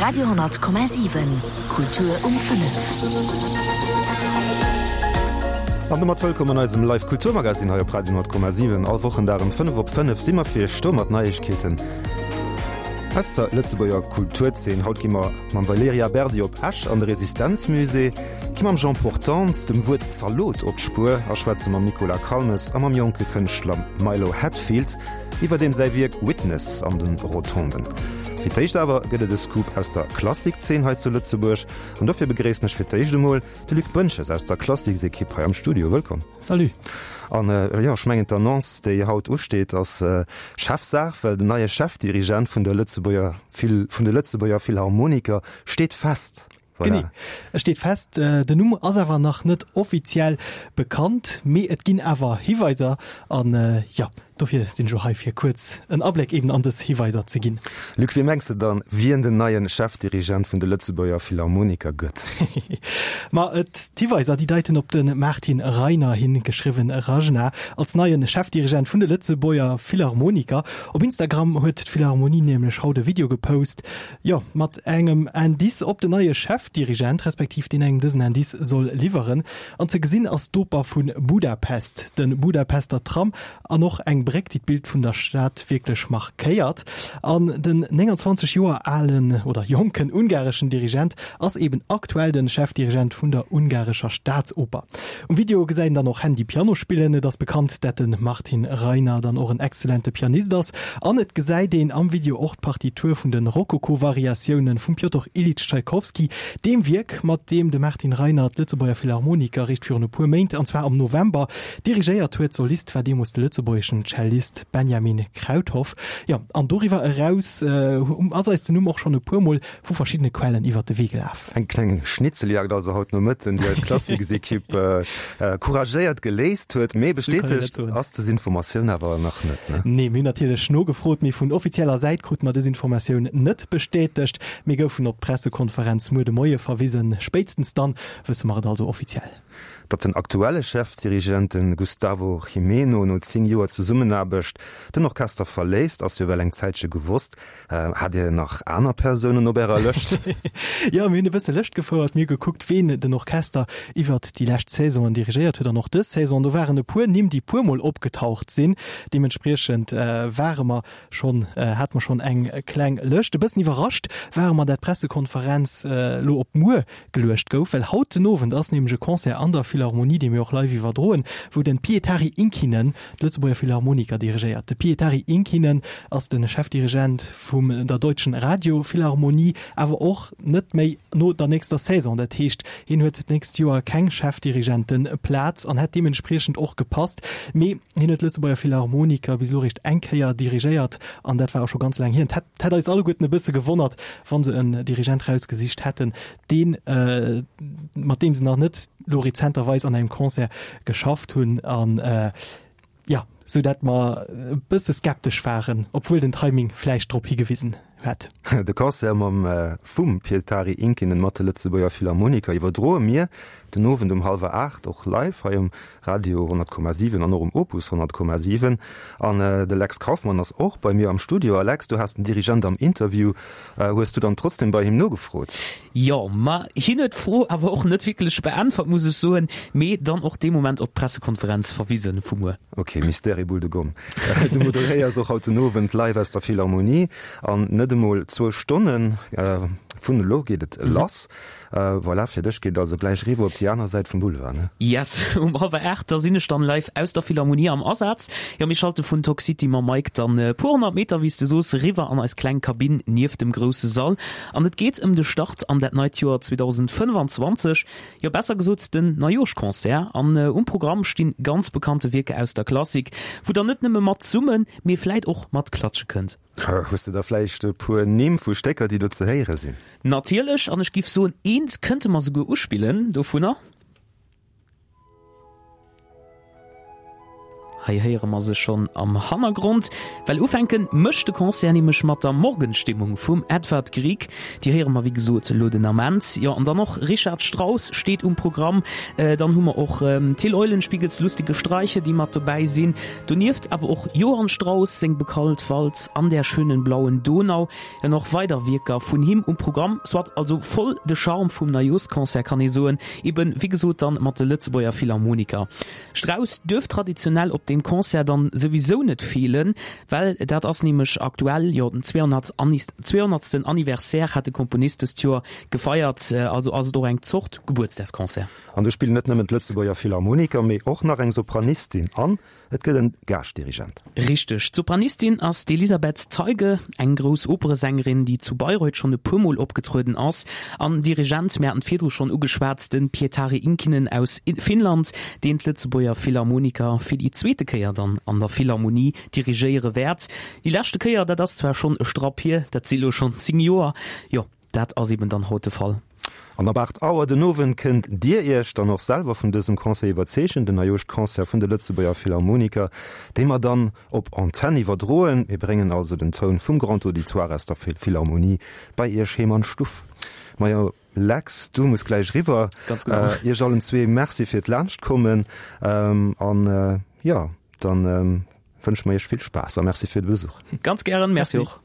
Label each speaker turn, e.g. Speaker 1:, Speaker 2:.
Speaker 1: Radio,7 Kultur um 5.
Speaker 2: An domat wëllkomm an eisem Live Kulturmagazin hei op Radio 10,7. All Wochendag um 5 op 5 si mer fir iech do mat Neiegkeeten aus der Lëtzebuerger Kulturzeen. Haut gi mer mam Valerija Berdi op Esch an de Resistenzmusée, gi mam Jean Portante dem Wuert Zalot op d'Spuer a schwätze mam Nicolas Calmes a mam jonke Kënschtler Milo Hatfield iwwer deem säi Wierk Witness an de Rotonden. Fir d'éischt awer gëtt et e Scoop aus der Klassikzeen hei zu Lëtzebuerg an dofir begréissen ech fir d'éischt emol de Luc Boentges aus der Klassiksekipp hei am Studio. Wëllkomm.
Speaker 3: Salut.
Speaker 2: An jo, ech mengen d'Annonce déi haut usteet ass Chefsaach, well den neie Chefdirigent vun der Lëtzebuerger vun de Lëtzebuerger Philharmoniker steet fest.
Speaker 3: Voilà. Genee, et steet fest. Den Numm ass awer nach net offiziell bekannt, mee et ginn awer Hiweiser an jo, dofir sinn ech elo hei fir kuerz en Abléck eben an dës Hiweiser ze ginn.
Speaker 2: Luc, wie mengs de dann, wien den neien Chefdirigent vun de Lëtzebuerger Philharmoniker gëtt?
Speaker 3: Ma et, d'Hiweiser, déi deiten op de Martin Reiner hin, geschriwwen Rajna, als neien Chefdirigent vun de Lëtzebuerger Philharmoniker. Op Instagram huet d'Philharmonie nämlech haut e Video gepost, Jo, mat engem Indice op den neie Chefdirigent, respektiv deen engem dësen Indice soll liwweren. An ze gesinn ass d'Oper vu Budapest, de Budapester Tram an och eng Bréck, déi d'Bild vun der Stad wierklech markéiert. An den 29 Joer alen oder jonken ungareschen Dirigent ass eben aktuell de Chefdirigent vun der ungarescher Staatsoper. Um Video gesäit een dann och Handy Piano spillen. Et ass bekannt, dat de Martin Reiner dann och en exzellente Pianist ass. An et gesäit een am Video och d'Partitur vun de Rokoko-Variatioune vum Pjotr Iljitsch Tschaikowski, deem Wierk, mat deem de Martin Reiner d'Lëtzebuerger Philharmoniker eréischt virun e puer Méint, an zwar am November, dirigéiert huet. Solist war deemools de lëtzebuergeschen Cellist Benjamin Krauthoff. Jo, an doriwwer eraus ass eis den Numm och schonn e puer Mol vu verschiddene Quellen iwwert de Wee gelaf.
Speaker 2: Eng kleng Schnitzeljagd also haut Nomëtten, déi eis Klassiksekipp couragéiert geléist huet. Mee bestätegt ass des Informatioun awer nach net, ne?
Speaker 3: Nee, mir hunn natierlech nogefrot, mee vun offizieller Säit krute mer des Informatioun net bestätegt. Mir goufen op d'Pressekonferenz muer de Moie verwisen. Spéitstens dann wësse mer et also offiziell.
Speaker 2: Datt den aktuelle Chefdirigent, de Gustavo Gimeno, no 10 Joer Zesummenaarbecht den Orchester verléisst, ass jo well eng Zäitche gewosst. Hat Dir nach aner Persounen op Ärer Lëscht?
Speaker 3: Jo, mir hunn e bësse Lëscht gefouert. Mir hu gekuckt, ween den Orchester iwwert déi lescht Saisonen dirigéiert huet an och dës Saison. An do waren e puer Nimm, déi puermol opgetaucht sinn. Deementspriechend ware mer schonn, hate mer schonn eng kleng Lëscht. E bëssen iwwerrascht ware mer, dat d'Pressekonferenz elo op muer geluecht gouf, well haut den Owend ass nämlech e Concert an der Philharmonie, dee mir och live iwwerdroen, wou den Pietari Inkinen d'Lëtzebuerger Philharmoniker dirigéiert. De Pietari Inkinen ass de Chefdirigent vum der Deutschen Radio Philharmonie, awer och net méi no der nächster Saison. Dat heescht, hien huet d'nächst Joer keng Chefdirigenteplaz an hätt deementspriechend och gepasst. Mee hien huet d'Lëtzebuerger Philharmoniker bis elo eréischt eng Kéier dirigéiert an dat war och scho ganz laang hier. Et hätt eis alleguerten e bësse gewonnert, wa se en Dirigent rausgesicht hätten, deen, mat deem se nach net lo rezenterweis an engem Concert geschafft hunn an jo, sou dat mer e bësse skeptesch waren, obwuel den Timing vläicht drop higewisen huet.
Speaker 2: De Concert mam vum Pietari Inkinen mat de Lëtzebuerger Philharmoniker iwwerdroe mir den Owend um hallwer 8 och live hei um Radio 100,7 an och um Opus 100,7. An de Lex Kauffmann ass och bei mir am Studio. A Lex, du has den Dirigent am Interview. Hues du dann trotzdem bei him nogefrot?
Speaker 4: Jo, ma hien huet d'Fro awer och net wierklech beäntwert, muss ech soen, mee dann och dee Moment op d'Pressekonferenz verwisen vu muer.
Speaker 2: Ok, Mystère et boule de gomme. Du moderéiers och haut den Owend live aus der Philharmonie an net emol zwou Stonnen vun elo geet et lass. Voilà, fir dech geet et also gläich eriwwer op déi aner Säit vum Boulevard, ne?
Speaker 4: Yes, um hallwer 8, da sinn ech dann live aus der Philharmonie am Asaz. Jo, mir schalte vun Talk City mam Mike dann e puer 100 Meter, wéi s de soos, eriwwer an eis kleng Kabinn nieft dem grousse Sall. An et geet ëm de Start an dat neit Joer 2025, jo besser gesot den Neijooschconcert. An um Programm stinn ganz bekannte Wierker aus der Klassik, wou der net nëmme mat summen, mee vläit och mat klatsche kënnt.
Speaker 2: Hues de da vläicht e puer Nimm vu Stécker, déi do ze héiere sinn?
Speaker 4: Natierlech, an ech giff soen, eent kënnte mer souguer uspillen dovunner. Hei héiere mer se schonn am Hannergrond. Well ufänke mécht de Concert nämlech mat der Morgenstimmung vum Edvard Grieg. Déi héiere mer wéi gesot elo den Ament. Jo, an dann och Richard Strauss steet um Programm. Dann hu mer och Till Eulenspiegels Lustige Streiche, déi mat dobäi sinn. Donieft awer och Johann Strauss seng bekallt Walz An der schönen blauen Donau. An och weider Wierker vun him um Programm. Soit also voll de Charme vum Neijooschconcert kann ee soen. Eben wéi gesot dann mat de Lëtzebuerger Philharmoniker. Strauss duerf traditionell op deem Concert dann souwisou net feelen, well dat ass nämlech aktuell, jo den 200. Anniversaire hat de Komponist dëst Joer gefeiert, also ass et och eng Zort Gebuertsdagsconcert.
Speaker 2: An do spillen net nëmmen d'Lëtzebuerger Philharmoniker, mee och nach eng Sopranistin an et gëtt en Gaaschtdirigent.
Speaker 4: Richteg, d'Sopranistin ass d'Elisabeth Teige, eng grouss Operesängerin, déi zu Bayreuth schonn e puer Mol opgetrueden ass. An Dirigent, mir haten et virdru schonn ugeschwat, de Pietari Inkinen aus Finnland, deen d'Lëtzebuerger Philharmoniker fir déi zweete Kéier dann an der Philharmonie dirigéiere wäert. Déi leschte Kéier, dat ass zwar schonn e Strapp hier, dat si lo schonn 10 Joer, jo, dat ass eben dann haut de Fall.
Speaker 2: An ab 8 Auer den Owend kënnt Dir Iech dann och selwer vun dësem Concert iwwerzeegen, den Neijooschconcert vun de Lëtzebuerger Philharmoniker, dee mer dann op Antenn iwwerdroen. Mir bréngen also den Toun vum Grand Auditoire aus der Philharmonie bei Iech heem an d'Stuff. Majo Lex, du muss gläich eriwwer.
Speaker 4: Ganz genau.
Speaker 2: Iech allen zwee Merci fir d'Laanschtkommen an jo, dann wënsche mer Iech vill Spaass a Merci fir de Besuch.
Speaker 4: Ganz gären, Merci och.